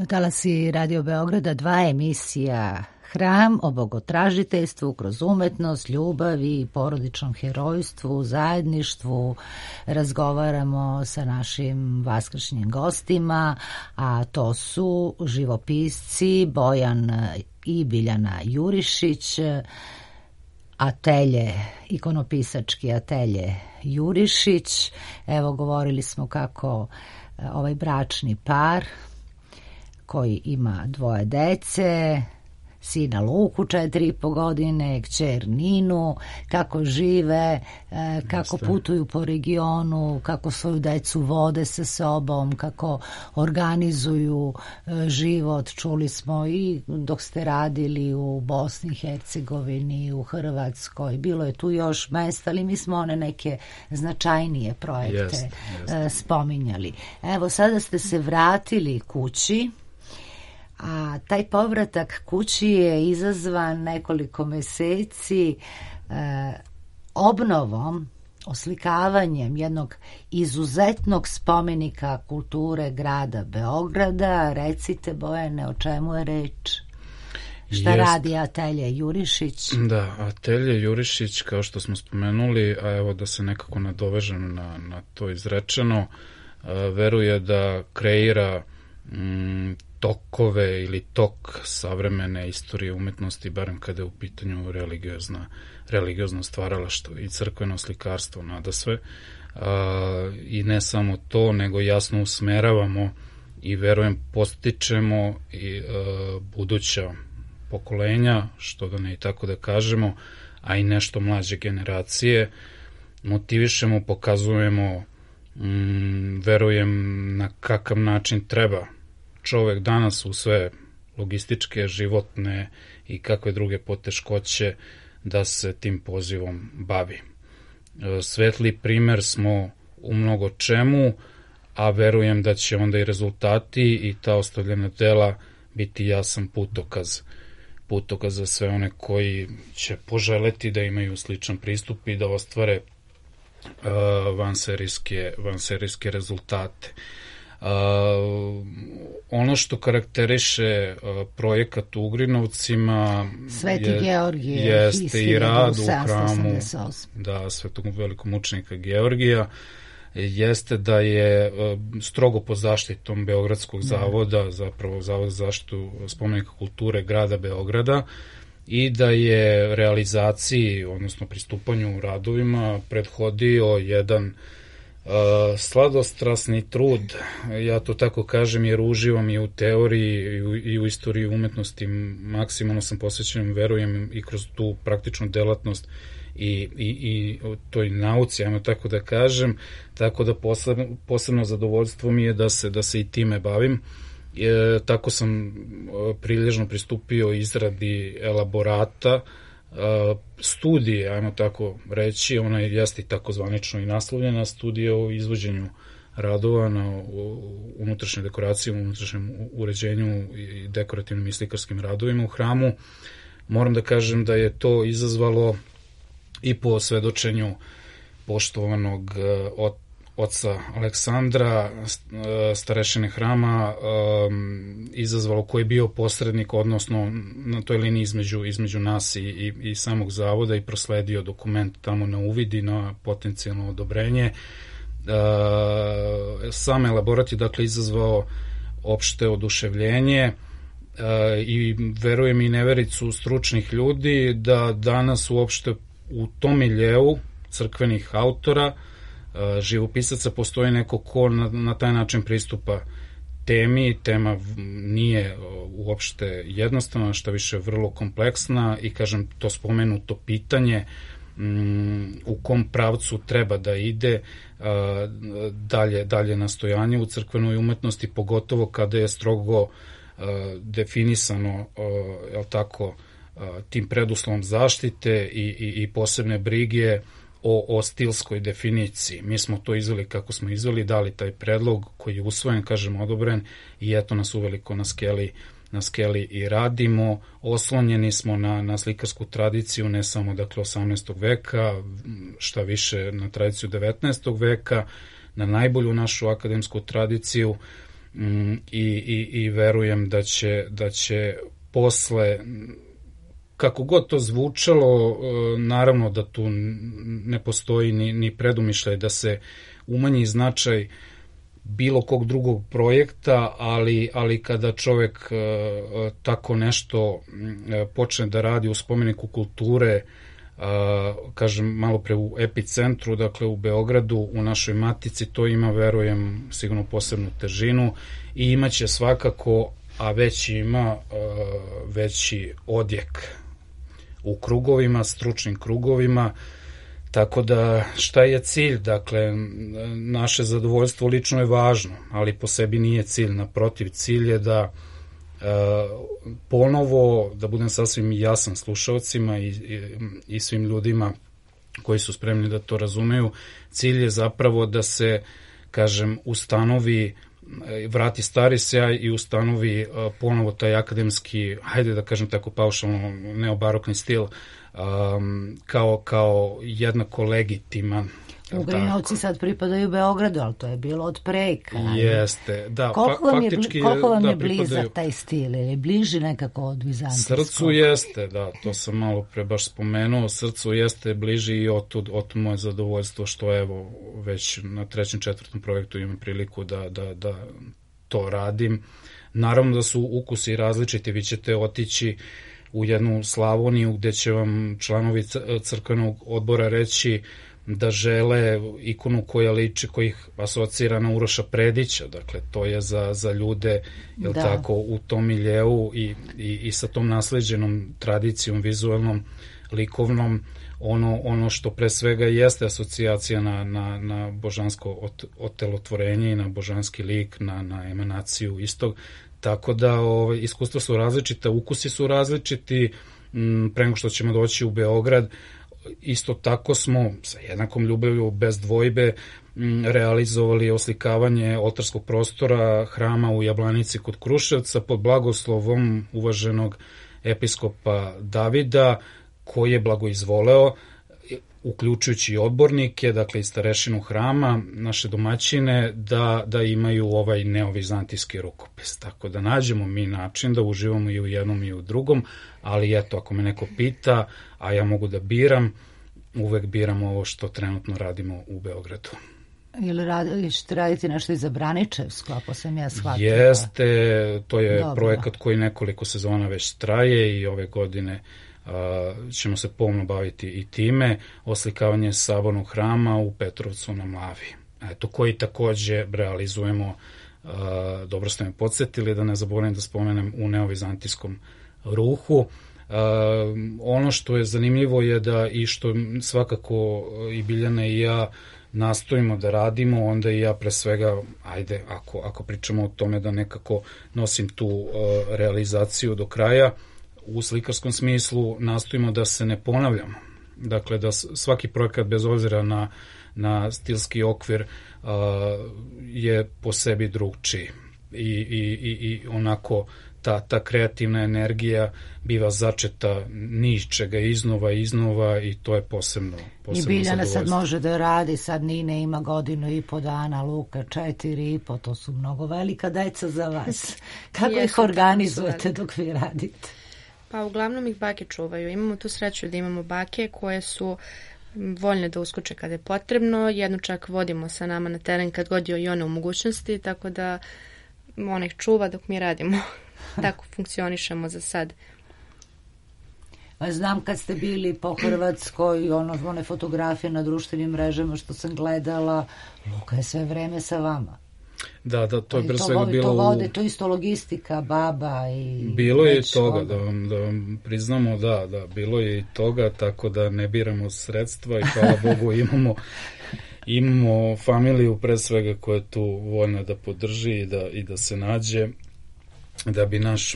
Talasi Radio Beograda, 2 emisija Hram o bogotražiteljstvu kroz umetnost, ljubavi, porodičnom herojstvu, zajedništvu. Razgovaramo sa našim vaskršnjim gostima, a to su živopisci Bojan i Biljana Jurišić, atelje, ikonopisački atelje Jurišić. Evo, govorili smo kako ovaj bračni par koji ima 2 dece sina Luku 4,5 godine, kćer Ninu, kako žive, kako putuju po regionu, kako svoju decu vode sa sobom, kako organizuju život. Čuli smo i dok ste radili u Bosni i Hercegovini, u Hrvatskoj, bilo je tu još mesta, ali mi smo one neke značajnije projekte spominjali. Evo, sada ste se vratili kući, a taj povratak kući je izazvan nekoliko meseci obnovom, oslikavanjem jednog izuzetnog spomenika kulture grada Beograda. Recite, Bojane, o čemu je reč? Šta radi Atelje Jurišić? Da, Atelje Jurišić, kao što smo spomenuli, a evo da se nekako nadovežem na to izrečeno, veruje da kreira tokove ili tok savremene istorije umetnosti, barem kada je u pitanju religiozno stvaralaštvo i crkveno slikarstvo nadasve. I ne samo to, nego jasno usmeravamo i verujem postičemo i buduća pokolenja, što da ne i tako da kažemo, a i nešto mlađe generacije, motivišemo, pokazujemo, verujem na kakav način treba čovek danas u sve logističke, životne i kakve druge poteškoće da se tim pozivom bavi. Svetli primer smo u mnogo čemu, a verujem da će onda i rezultati i ta ostavljena dela biti jasan putokaz za sve one koji će poželeti da imaju sličan pristup i da ostvare vanserijske rezultate. Ono što karakteriše projekat u Ugrinovcima Sveti Georgije jeste i rad u hramu Svetog velikomučenika Georgija, jeste da je strogo pod zaštitom Beogradskog zavoda, zapravo Zavod za zaštitu spomenika kulture grada Beograda, i da je realizaciji, odnosno pristupanju radovima prethodio jedan sladostrasni trud, ja to tako kažem jer uživam i u teoriji i u istoriji umetnosti, maksimalno sam posvećen, verujem i kroz tu praktičnu delatnost i toj nauci, ajmo tako da kažem, tako da posebno zadovoljstvo mi je da se i time bavim. Tako sam prilježno pristupio izradi elaborata, studije, ajmo tako reći, ona je jeste tako zvanično i naslovljena, studija o izvođenju radova na unutrašnjoj dekoraciji, unutrašnjem uređenju i dekorativnim i slikarskim radovima u hramu. Moram da kažem da je to izazvalo i po svedočenju poštovanog oca Aleksandra, starešine hrama, izazvalo koji je bio posrednik, odnosno na toj liniji između nas i samog zavoda, i prosledio dokument tamo na uvid i na potencijalno odobrenje. Sam elaborat je dakle izazvao opšte oduševljenje i verujem i nevericu stručnih ljudi da danas uopšte u tom miljeu crkvenih autora, živopisaca, postoji neko ko na taj način pristupa temi. Tema nije uopšte jednostavna, šta više vrlo kompleksna, i kažem, to spomenuto pitanje u kom pravcu treba da ide dalje nastojanje u crkvenoj umetnosti, pogotovo kada je strogo definisano, jel tako, tim preduslovom zaštite i posebne brige o stilskoj definiciji. Mi smo to izveli kako smo izveli, dali taj predlog koji je usvojen, kažem, odobren, i eto nas uveliko na skeli i radimo. Oslonjeni smo na slikarsku tradiciju, ne samo dakle 18. veka, šta više na tradiciju 19. veka, na najbolju našu akademsku tradiciju, i verujem da će posle, kako god to zvučalo, naravno da tu ne postoji ni predumišljaj da se umanji značaj bilo kog drugog projekta, ali kada čovek tako nešto počne da radi u spomeniku kulture, kažem malo pre u epicentru, dakle u Beogradu, u našoj matici, to ima, verujem, sigurno posebnu težinu i imaće svakako a već ima veći odjek u krugovima, stručnim krugovima. Tako da šta je cilj? Dakle, naše zadovoljstvo lično je važno, ali po sebi nije cilj. Naprotiv, cilj je da ponovo, da budem sasvim jasan slušalcima i svim ljudima koji su spremni da to razumeju, cilj je zapravo da se, kažem, ustanovi, vrati stari sjaj i ustanovi ponovo taj akademski, hajde da kažem tako paušalno, neobarokni stil, kao jednako legitiman. Ugrinovci sad pripadaju Beogradu, ali to je bilo od preka. Jeste, da. Koliko vam je blizak taj stil? Je bliži nekako od vizantijskog? Srcu jeste, da, to sam malo pre baš spomenuo. Srcu jeste bliži i otud moje zadovoljstvo što evo već na 3. 4. projektu imam priliku da to radim. Naravno da su ukusi različiti, vi ćete otići u jednu Slavoniju gde će vam članovi crkvenog odbora reći da žele ikonu koja liči, koja ih asocira na Uroša Predića, dakle to je za ljude, jel tako, u tom miljeu i sa tom nasleđenom tradicijom vizualnom, likovnom, ono što pre svega jeste asocijacija na božansko otelotvorenje i na božanski lik, na emanaciju istog. Tako da iskustva su različita, ukusi su različiti. Pre nego što ćemo doći u Beograd, isto tako smo sa jednakom ljubavlju, bez dvojbe, realizovali oslikavanje oltarskog prostora hrama u Jablanici kod Kruševca pod blagoslovom uvaženog episkopa Davida, koji je blagoizvoleo, uključujući i odbornike, dakle i starešinu hrama, naše domaćine, da imaju ovaj neovizantijski rukopis. Tako da nađemo mi način da uživamo i u jednom i u drugom, ali eto, ako me neko pita, a ja mogu da biram, uvek biram ovo što trenutno radimo u Beogradu. Ili ćete raditi nešto i za Braničevsko, ako sam ja shvatila? Jeste, to je projekat koji nekoliko sezona već traje i ove godine ćemo se pomno baviti i time, oslikavanje sabornog hrama u Petrovcu na Mlavi. Eto, koji takođe realizujemo, dobro ste me podsjetili, da ne zaboravim da spomenem, u neovizantijskom ruhu. Ono što je zanimljivo je da i što svakako i Biljana i ja nastojimo da radimo, onda i ja pre svega, ajde, ako pričamo o tome da nekako nosim tu realizaciju do kraja, u slikarskom smislu nastojimo da se ne ponavljamo. Dakle, da svaki projekat, bez obzira na stilski okvir, je po sebi drugčiji. I onako ta kreativna energija biva začeta niz čega iznova i to je posebno I Biljana sad može da radi, sad Nina ima 1,5 dana, Luka 4,5, to su mnogo velika deca za vas. Kako ih organizujete dok vi radite? Pa uglavnom ih bake čuvaju. Imamo tu sreću da imamo bake koje su voljne da uskoče kada je potrebno. Jednu čak vodimo sa nama na teren kad god je i one u mogućnosti, tako da ona ih čuva dok mi radimo. Tako funkcionišemo za sad. Znam kad ste bili po Hrvatskoj, one fotografije na društvenim mrežama što sam gledala, Luka je sve vreme sa vama. Da, to je pre svega bilo... To vode, to isto logistika, baba i... Bilo je i toga, da vam priznamo, da, bilo je i toga, tako da ne biramo sredstva i hvala Bogu imamo familiju pre svega koja je tu voljna da podrži i da se nađe, da bi naš,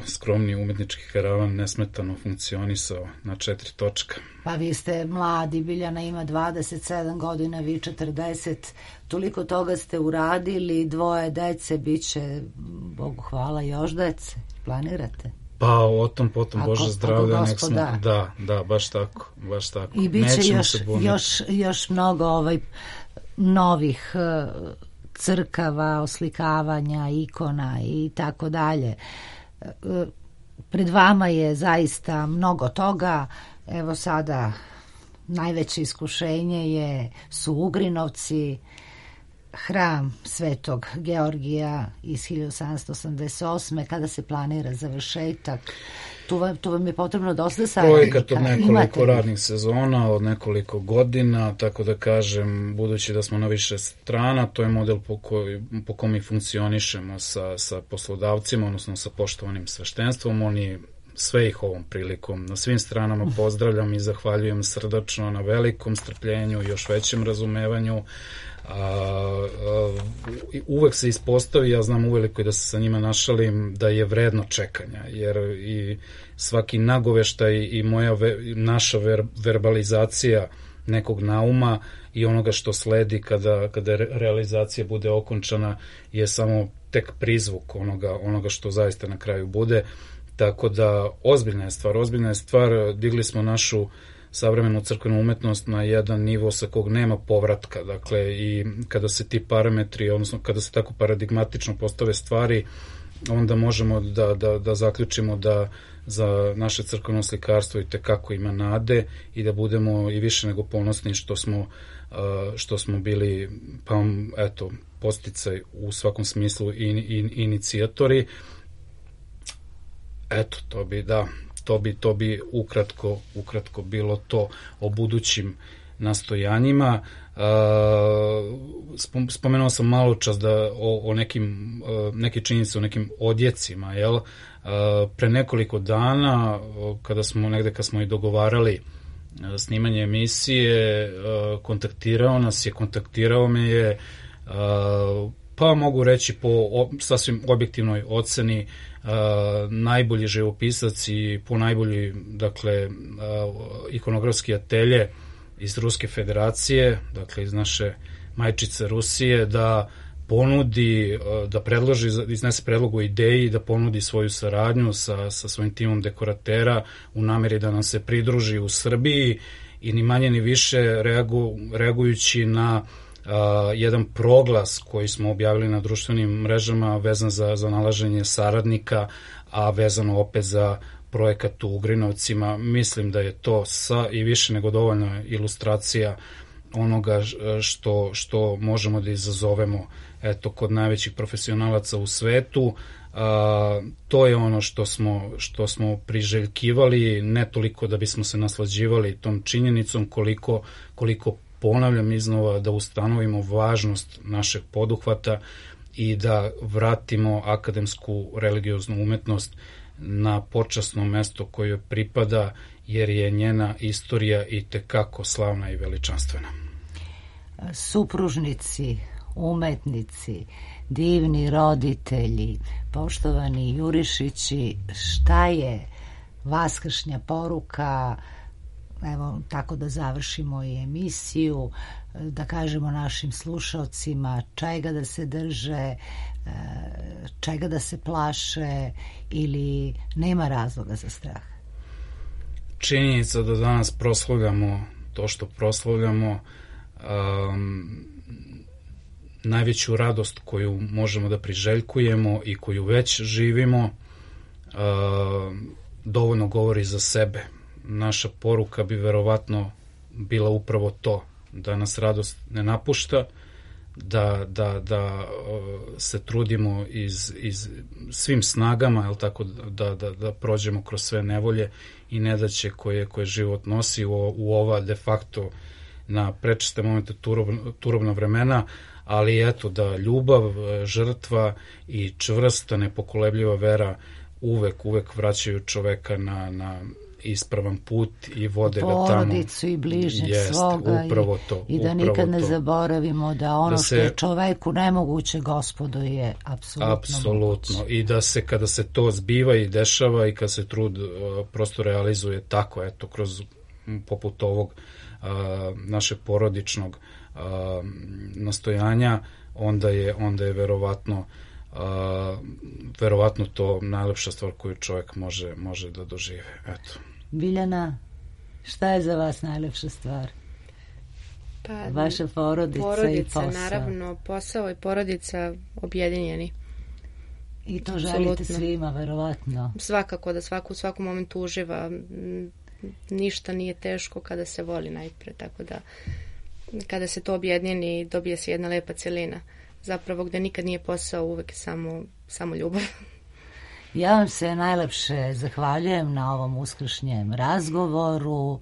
skromni umetnički karavan nesmetano funkcionisao na 4 točka. Pa vi ste mladi, Biljana ima 27 godina, vi 40, toliko toga ste uradili, 2 dece, bit će, Bogu hvala, još dece, planirate? Pa o tom potom, Bože zdravlja, nek smo, da, baš tako. I bit će još mnogo novih crkava, oslikavanja, ikona i tako dalje. Pred vama je zaista mnogo toga. Evo sada najveće iskušenje su Ugrinovci. hram Svetog Georgija iz 1788. kada se planira završetak? Tu vam je potrebno dosta saradnika. Projekat od nekoliko radnih sezona, od nekoliko godina, tako da kažem, budući da smo na više strana, to je model po kom mi funkcionišemo sa poslodavcima, odnosno sa poštovanim sveštenstvom. Oni sve ih ovom prilikom na svim stranama pozdravljam i zahvaljujem srdačno na velikom strpljenju i još većem razumevanju. Uvek se ispostavi, ja znam uveliko i da se sa njima našalim, da je vredno čekanja, jer i svaki nagoveštaj i naša verbalizacija nekog nauma i onoga što sledi kada realizacija bude okončana je samo tek prizvuk onoga što zaista na kraju bude. Tako da ozbiljna je stvar, digli smo našu savremenu crkvenu umetnost na jedan nivo sa kog nema povratka, dakle, i kada se ti parametri, odnosno kada se tako paradigmatično postave stvari, onda možemo da zaključimo da za naše crkveno slikarstvo i tekako ima nade i da budemo i više nego ponosni što smo bili, pa eto, podsticaj u svakom smislu i inicijatori. Eto, to bi ukratko bilo to o budućim nastojanjima. Spomenuo sam malo čas o neke činjenice, o nekim odjecima, jel? Pre nekoliko dana, kad smo i dogovarali snimanje emisije, kontaktirao me je, pa mogu reći po sasvim objektivnoj oceni, najbolji živopisac i po najbolji, dakle, ikonografski atelje iz Ruske federacije, dakle iz naše majčice Rusije, da ponudi, da predloži, iznese predlog o ideji, da ponudi svoju saradnju sa svojim timom dekoratera u nameri da nam se pridruži u Srbiji i ni manje ni više reagujući na jedan proglas koji smo objavili na društvenim mrežama vezan za nalaženje saradnika, a vezano opet za projekat u Ugrinovcima. Mislim da je to i više nego dovoljna ilustracija onoga što možemo da izazovemo kod najvećih profesionalaca u svetu. To je ono što smo priželjkivali, ne toliko da bismo se naslađivali tom činjenicom, koliko ponavljam iznova, da ustanovimo važnost našeg poduhvata i da vratimo akademsku religioznu umetnost na počasno mesto koje pripada, jer je njena istorija i tekako slavna i veličanstvena. Supružnici, umetnici, divni roditelji, poštovani Jurišići, šta je vaskršnja poruka, evo tako da završimo i emisiju, da kažemo našim slušalcima čega da se drže, čega da se plaše ili nema razloga za strah? Činjenica da danas proslavljamo to što proslavljamo, najveću radost koju možemo da priželjkujemo i koju već živimo, dovoljno govori za sebe. Naša poruka bi verovatno bila upravo to, da nas radost ne napušta, da se trudimo iz svim snagama, jel tako, da prođemo kroz sve nevolje i nedaće koje život nosi u ova de facto na prečeste momente turobna vremena, ali eto da ljubav, žrtva i čvrsta, nepokolebljiva vera uvek vraćaju čoveka na ispravan put i vode ga tamo. Porodicu i bližnjeg svoga i da nikad ne zaboravimo da ono što je čoveku nemoguće, Gospodu je apsolutno moguće. I da se kada se to zbiva i dešava i kad se trud prosto realizuje tako, eto, kroz poput ovog našeg porodičnog nastojanja, onda je verovatno to najlepša stvar koju čovjek može da dožive. Eto. Biljana, šta je za vas najlepša stvar? Pa, vaša porodica i posao. Naravno, posao i porodica objedinjeni. I to želite svima, verovatno. Svakako, da svako u svakom momentu uživa. Ništa nije teško kada se voli najpre, tako da kada se to objedini dobije se jedna lepa celina. Zapravo gde nikad nije posao, uvek je samo ljubav. Ja vam se najlepše zahvaljujem na ovom uskršnjem razgovoru.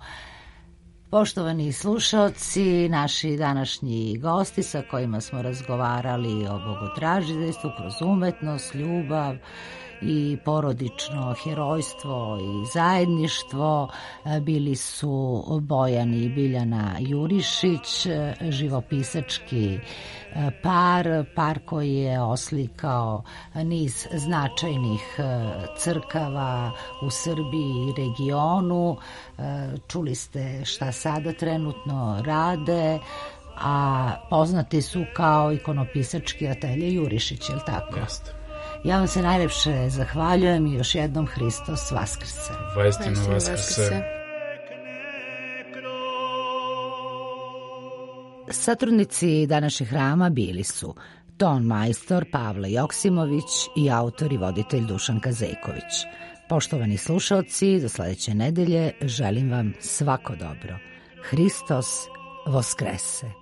Poštovani slušaoci, naši današnji gosti sa kojima smo razgovarali o bogotražiteljstvu kroz umetnost, ljubav i porodično herojstvo i zajedništvo bili su Bojan i Biljana Jurišić, živopisački par koji je oslikao niz značajnih crkava u Srbiji i regionu. Čuli ste šta sada trenutno rade, a poznati su kao ikonopisački atelje Jurišić, je li tako? Jeste. Ja vam se najlepše zahvaljujem i još jednom Hristos Vaskrse. Vaistinu Vaskrse. Satrudnici današnjeg hrama bili su ton majstor Pavle Joksimović i autor i voditelj Dušan Kazejković. Poštovani slušaoci, do sledeće nedelje želim vam svako dobro. Hristos Voskrese.